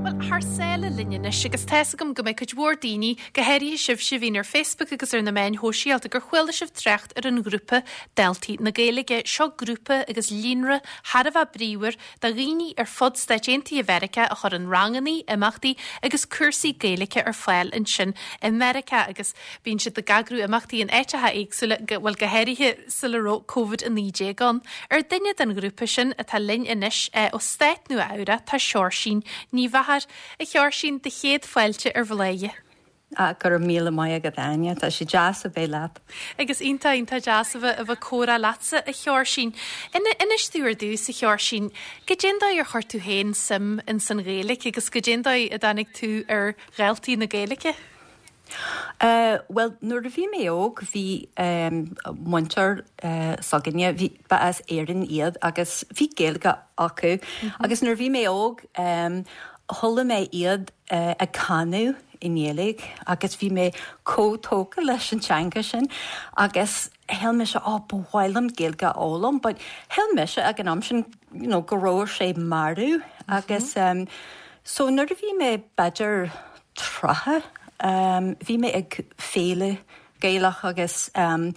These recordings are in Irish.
Bhuel, thar sáile linn anois agus tá's agam go mbeidh cuid mhór daoine, go háirithe sibhse a bhíonn ar Facebook agus ar na meáin shóisialta, gur chuala sibh trácht ar an ghrúpa Daltaí na Gaeilge. Seo grúpa agus líonra thar a bheith bríomhar do dhaoine ar fud Stáit Aontaithe Mheiriceá a chuireann rangannaí, imeachtaí agus cúrsaí Gaeilge ar fáil ansin i Meiriceá agus bíonn siad ag eagrú imeachtaí in áiteacha éagsúla, bhuel go háirithe sula raibh Covid-19 ann. Ar duine den ghrúpa sin atá linn anois ó Stát Nua Eabhrac tá Seoirsín Ní Mheachair. A Sheoirsín, do chéad fáilte ar Bhladhaire. Ah, go raibh míle maith agat, Áine. Tá sé deas a bheith leat. Agus iontach, iontach deas a bheith, a bheith ag comhrá leatsa, a Sheoirsín. Inis domh ar dtús, a Sheoirsín, goidé an dóigh ar chuir tú féin suim ins an Ghaeilge agus goidé an dóigh a dtáinig tú ar Dhaltaí na Gaeilge? Eh, bhuel, nuair a bhí mé óg, bhí muintir s'againne, bhí, ba as Éirinn iad agus bhí Gaeilge acu. Agus nuair a bhí mé óg, chuala mé iad ag canadh i nGaeilge agus bhí mé chomh tógtha leis an teanga sin agus shíl mise oh ba mhaith liom Gaeilge a fhoghlaim but shíl mise ag an am sin you know go raibh sé marbh agus um, so nuair a bhí mé b'fhéidir 30 um, bhí mé ag féile Gaelach agus um,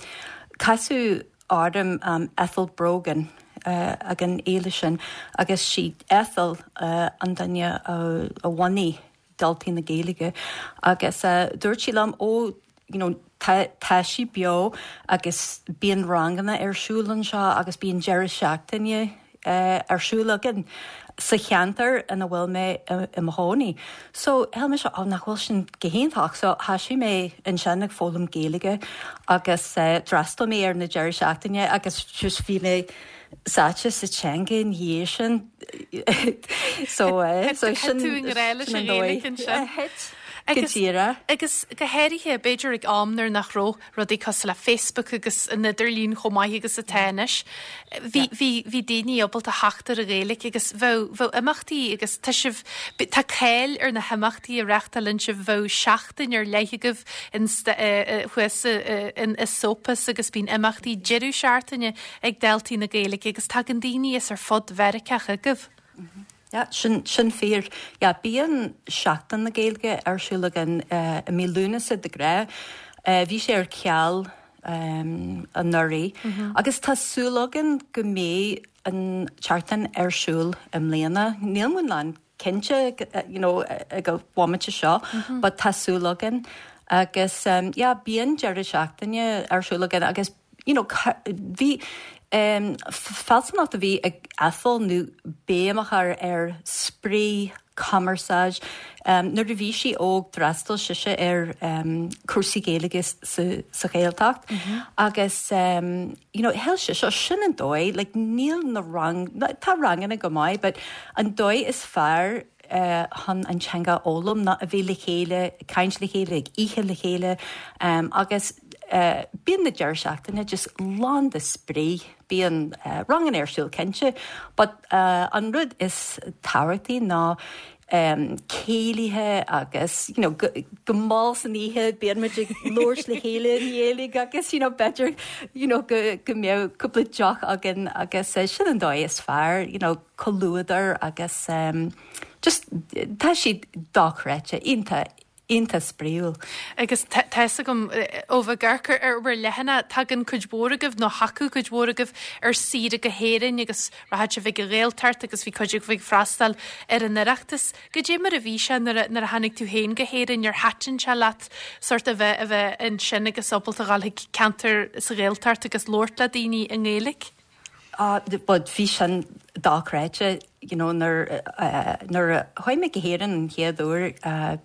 casadh orm um, Ethel Brogan uh, ag an fhéile sin agus sí Ethel uh, an duine a, a bhunaigh Daltaí na Gaeilge agus dúirt sí liom ó you know tá tá sí beo agus bíonn ranganna ar siúl anseo agus bíonn deireadh seachtaine ar siúl againn sa cheantar ina bhfuil mé i mo chónaí. So shíl mise ó nach bhfuil sin go hiontach so thoisigh mé ansin ag foghlaim Gaeilge agus d'fhreastail mé ar na deireadh seachtaine agus just bhí mé sáite sa teanga ina dhiaidh sin. So so sin tú i ngrá leis an Ghaeilge ansin. Thit go díreach. Agus go háirithe, b'fhéidir ag am nuair nach raibh rudaí cosúil le Facebook agus an idirlíon chomh maith agus atá anois, bhí bhí bhí daoine ábalta theacht ar an Ghaeilge agus bheadh bheadh imeachtaí agus tá sibh tá cáil ar na himeachtaí a reáchtálann sibh, bheadh seachtain ar leith agaibh in thuas in Esopus agus bíonn imeachtaí deireadh seachtaine ag Daltaí na Gaeilge agus tagann daoine as ar fud Mheiriceá chugaibh. Yeah, sin, sin fíor. Yeah, bíonn Seachtain na Gaeilge ar siúl againn i mí Lúnasa de ghnáth. Bhí sé ar ceal anuraidh agus tá súil againn go mbeidh an tseachtain ar siúl i mbliana. Níl muid lán cinnte you know ag an bhomaite seo but tá súil againn agus yeah bíonn deireadh seachtaine ar siúl againn agus you know bhí fealsúnacht a bhí ag Ethel nó béim a chur ar spraoi, cumarsáid. Nuair a bhí sí óg d'fhreastail sise ar cúrsaí Gaeilge sa Ghaeltacht agus you know, shíl sise, sin an dóigh, like, níl na rang, tá ranganna go maith, but an dóigh is fearr chun an teanga a fhoghlaim ná a bheith le chéile, ag caint le chéile, ag ithe le chéile, agus bíonn na deireadh seachtaine just lán de spraoi, bíonn ranganna ar siúl cinnte, but an rud is tábhachtaí ná céilithe agus you know go mall san oíche bíonn muid ag labhairt le chéile i nGaeilge agus you know b'fhéidir you know go go mbeadh cúpla deoch againn agus sin an dóigh is fearr you know comhluadar agus just tá siad dochreidte iontach iontach spraíúil. Agus tá fhios agam ó bheith ag amharc ar bhur leathanach, tagann cuid mhór agaibh, nó thagadh cuid mhór agaibh ar saoire go hÉirinn agus rachadh sibh ag an Ghaeltacht agus bhí cuid agaibh ag freastal ar an Oireachtas. Goidé mar a bhí sé nuair a nuair a tháinig tú féin go hÉirinn, ar thaitin sé leat sórt a bheith a bheith ansin agus ábalta a dhul chuig ceantar sa Ghaeltacht agus labhairt le daoine i nGaeilge? Ah, but bhí sin dochreidte, you know, nuair, nuair a chuaigh mé go hÉirinn an chéad uair,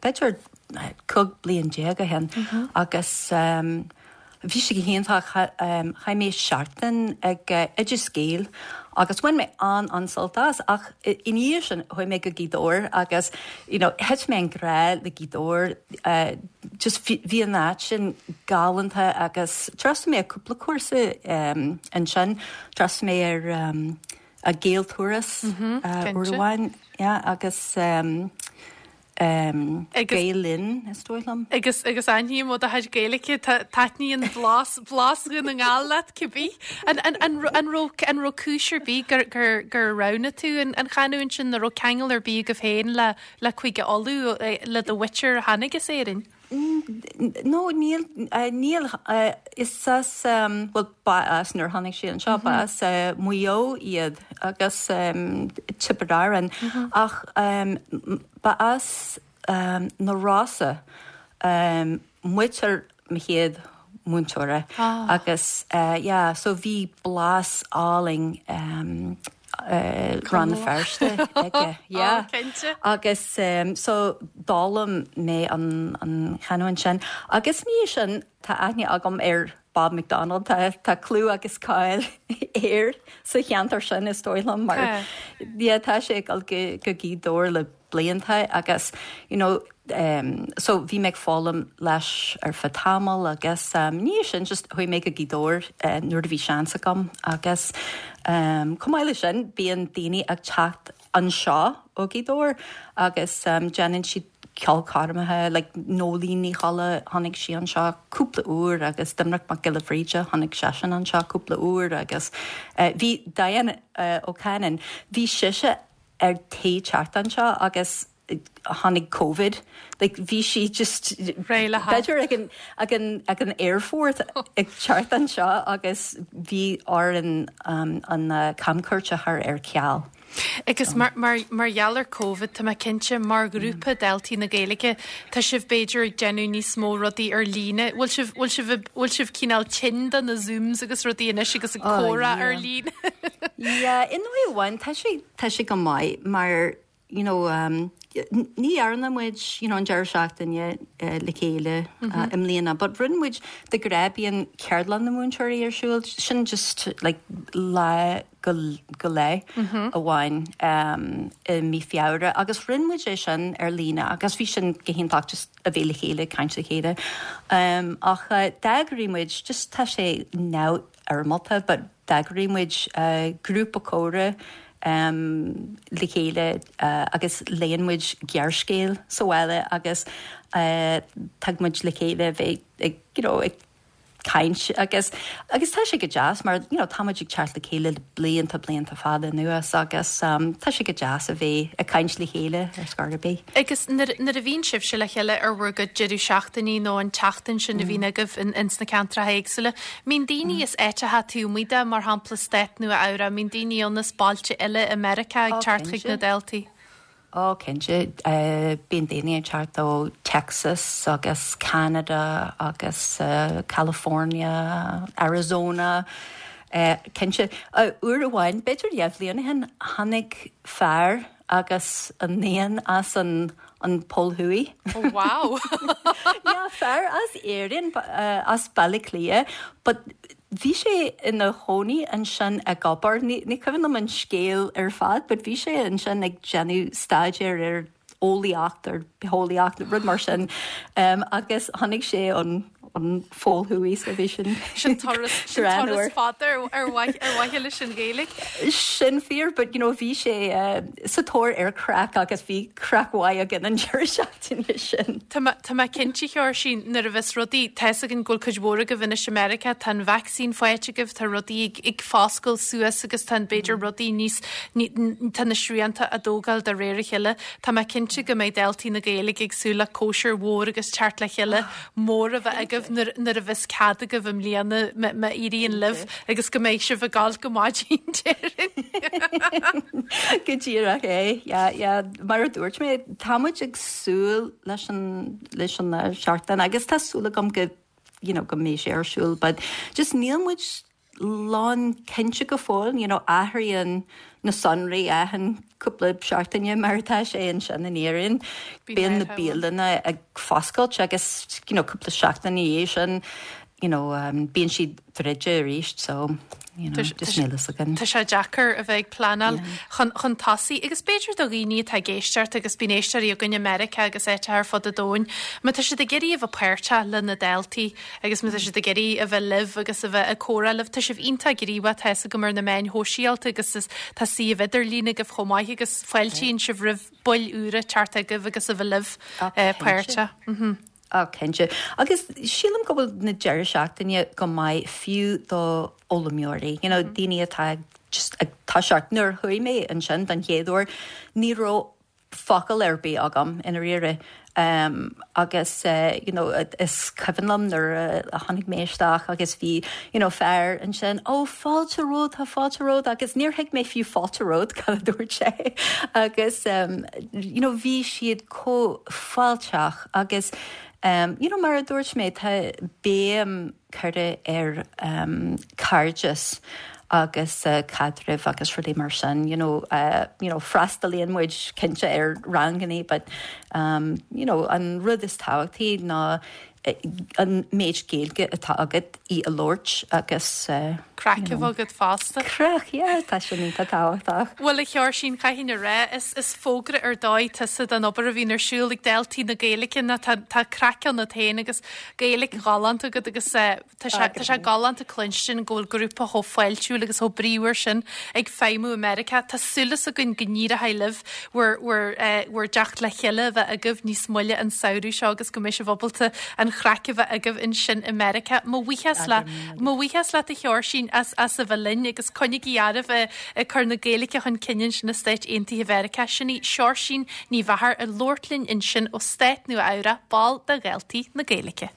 b'fhéidir 15 bliain ó shin, agus bhí sé go hiontach, chaith mé seachtain ag Oideas Gael agus bhain mé an-an-sult as, ach ina dhiaidh sin chuaigh mé go Gaoth Dobhair agus, you know, thit mé i ngrá le Gaoth Dobhair, just bhí an áit sin galánta agus d'fhreastail mé ar cúpla cúrsa ansin, d'fhreastail mé ar a Gaelturas uair amháin, yeah, agus. Gael Linn, is dóigh liom. Agus agus aithním ó do chuid Gaeilge, taitníonn blas blas Dhún na nGall leat cibé. An an an an raibh an raibh cúis ar bith gur gur gur roghnaigh tú an an chanúint sin, nó raibh ceangal ar bith agaibh féin le le Cúige Uladh, le do mhuintir a tháinig as Éirinn? No, níl, níl, is as, bhuel, ba as, nuair a tháinig siad anseo, ba as Maigh Eo iad agus Tiobraid Árann, ach ba as na Rosa muintir mo chéad mhúinteora agus yeah, so bhí blas álainn Rann na Feirste aige, yeah. Agus so d'fhoghlaim mé an chanúint sin. Agus ní sin, tá aithne agam ar Bob McDonald, tá clú agus cáil air sa cheantar sin is dóigh liom mar yeah tá sé ag dul go Gaoth Dobhair le blianta agus you know so bhí mé ag foghlaim leis ar feadh tamaill agus ní sin just chuaigh mé go Gaoth Dobhair nuair a bhí seans agam agus chomh maith leis sin bíonn daoine ag teacht anseo ó Ghaoth Dobhair agus déanann siad ceolchoirmeacha like Nóilín Ní Cholla tháinig sí anseo cúpla uair agus Doimnic Mac Giolla Bhríde tháinig seisean anseo cúpla uair agus bhí Diane O'Cannon bhí sise ar tí teacht anseo agus tháinig Covid, like bhí sí just Réidh le b'fhéidir ag an ag an ag an aerfort ag teacht anseo agus bhí orainn an an camchuairt a chur ar ceal. Agus mar mar mar gheall ar Covid, tá mé cinnte, mar ghrúpa Daltaí na Gaeilge, tá sibh b'fhéidir ag déanamh níos mó rudaí ar líne. Bhfuil sibh bhfuil sibh bhfuil sibh cineál tinn do na Zooms agus rudaí anois agus ag comhrá ar líne? Yeah, i ndóigh amháin tá sé Tá sé go maith mar you know ní dhearna muid you know an deireadh seachtaine le chéile i mbliana but rinne muid de ghnáth bíonn ceardlann na múinteoirí ar siúl sin just like lá go go leith amháin i mí Feabhra agus rinne muid é sin ar líne agus bhí sin go hiontach just a bheith le chéile ag caint le chéile ach d'eagraigh muid just tá sé neamh fhoirmeálta but d'eagraigh muid grúpa comhrá le chéile agus léann muid gearrscéal sa bhaile agus tag muid le chéile bheith ag you know ag caint agus agus tá sé go deas mar you know tá muid ag teacht le chéile le blianta blianta fada anuas agus tá sé go deas a bheith ag caint le chéile ar scor ar bith. Agus nuair a bhíonn sibhse le chéile ar bhur gcuid deireadh seachtainí nó an tseachtain sin a bhíonn agaibh ins na ceantracha éagsúla, mbíonn daoine as áiteacha taobh amuigh de, mar shampla Stát Nua Eabhrac, mbíonn daoine ann as bailte eile i Meiriceá ag teacht chuig na daltaí? Ó, cinnte. Bíonn daoine ag teacht ó Texas agus Canada agus California, Arizona. Cinnte. Uair amháin, b'fhéidir dhá bhliain ó shin, tháinig fear agus a níon as an an Pol Thuaidh. Oh wow! Yeah, fear as Éirinn, as Baile Átha Cliath, but bhí sé ina chónaí ansin ag obair, ní ní cuimhin liom an scéal ar fad, but bhí sé ansin ag déanamh staidéar ar eolaíocht, ar bitheolaíocht, rud mar sin, agus tháinig sé ón an Phol Thuaidh so bhí sin Sin turas sin turas fada ar mhaithe leis an Ghaeilge. Sin fíor but you know bhí sé sa tóir ar craic agus bhí craic mhaith againn an deireadh seachtaine sin. Tá tá mé cinnte a Sheoirsín nuair a bheas rudaí, tá's againn go bhfuil cuid mhór agaibh anois i Meiriceá, tá an vacsaín faighte agaibh, tá rudaí ag ag foscailt suas agus tá b'fhéidir rudaí níos tá na srianta á dtógáil de réir a chéile. Tá mé cinnte go mbeidh Daltaí na Gaeilge ag súil le cóisir mhór agus teacht le chéile mór a bheith agaibh nuair a bheas cead agaibh i mbliana má éiríonn libh agus go mbeidh sibh ag gabháil go maidin déarfainn. Go díreach é, yeah, yeah. Mar a dúirt mé, tá muid ag súil leis an leis an seachtain agus tá súil agam go you know go mbeidh sé ar siúl but just níl muid lán cinnte go fóill, you know, athraíonn na sonraí achan cúpla seachtaine mar atá sé ansin in Éirinn. Bíonn na bialanna ag foscailt agus, you know, cúpla seachtain ina dhiaidh sin, you know, bíonn siad druidte arís, so. You know, just níl fhios againn. Tá sé deacair a bheith ag pleanáil chun, chun tosaigh agus b'fhéidir do dhaoine atá ag éisteacht agus bíonn éisteoirí againn i Meiriceá agus áiteacha ar fud an domhain, má tá siad ag iarraidh a bheith páirteach le na Daltaí agus má tá siad ag iarraidh a bheith libh agus a bheith ag comhrá libh, tá sibh iontach gníomhach tá fhios agam ar na meáin shóisialta agus is, tá suíomh idirlín agaibh chomh maith agus fáiltíonn sibh roimh baill úra teacht chugaibh agus a bheith libh páirteach. Á, cinnte. Agus sílim go bhfuil na deireadh seachtaine go maith fiú do fhoghlaimeoirí, you know, daoine atá just ag toiseacht. Nuair a chuaigh mé ansin don chéad uair, ní raibh focal ar bith agam i ndáiríre. Um, agus uh, you know, is cuimhin liom nuair a tháinig mé isteach agus bhí you know, fear ansin, ó fáilte romhat, tá fáilte romhat, agus níor thuig mé fiú fáilte romhat cad a dúirt sé. agus um, you know, bhí siad chomh fáilteach agus um, you know, mar a dúirt mé tá béim curtha ar um, cairdeas agus uh, caidrimh agus rudaí mar sin you know, uh, you know, freastalaíonn muid cinnte ar ranganna but um, you know, an rud is tábhachtaí ná an méid Gaeilge atá agat í a labhairt agus Craic a bheith agat fosta. Craic, yeah, tá sin iontach tábhachtach. Bhuel, a Sheoirsín, chaithfinn a rá, is is fógra ar dóigh tusa don obair a bhíonn ar siúl ag Daltaí na Gaeilge ná tá tá craic ionat féin agus Gaeilge ghalánta agat agus tá sé tá sé galánta cluinstin go bhfuil grúpa chomh fáiltiúil agus chomh bríomhar sin ag feidhmiú i Meiriceá. Tá súil againn go n-éireoidh libh bhur bhur bhur dteacht le chéile a bheith agaibh níos moille an samhradh seo agus go mbeidh sibh ábalta an chraic a bheith agaibh ansin i Meiriceá. Mo bhuíochas le mo bhuíochas leat a Sheoirsín as as a bheith linn agus coinnigí oraibh ag cur na Gaeilge chun cinn ansin i Stáit Aontaithe Mheiriceá. Sin í Seoirsín Ní Mheachair ag labhairt linn ansin ó Stát Nua Eabhrac, ball de Dhaltaí na Gaeilge.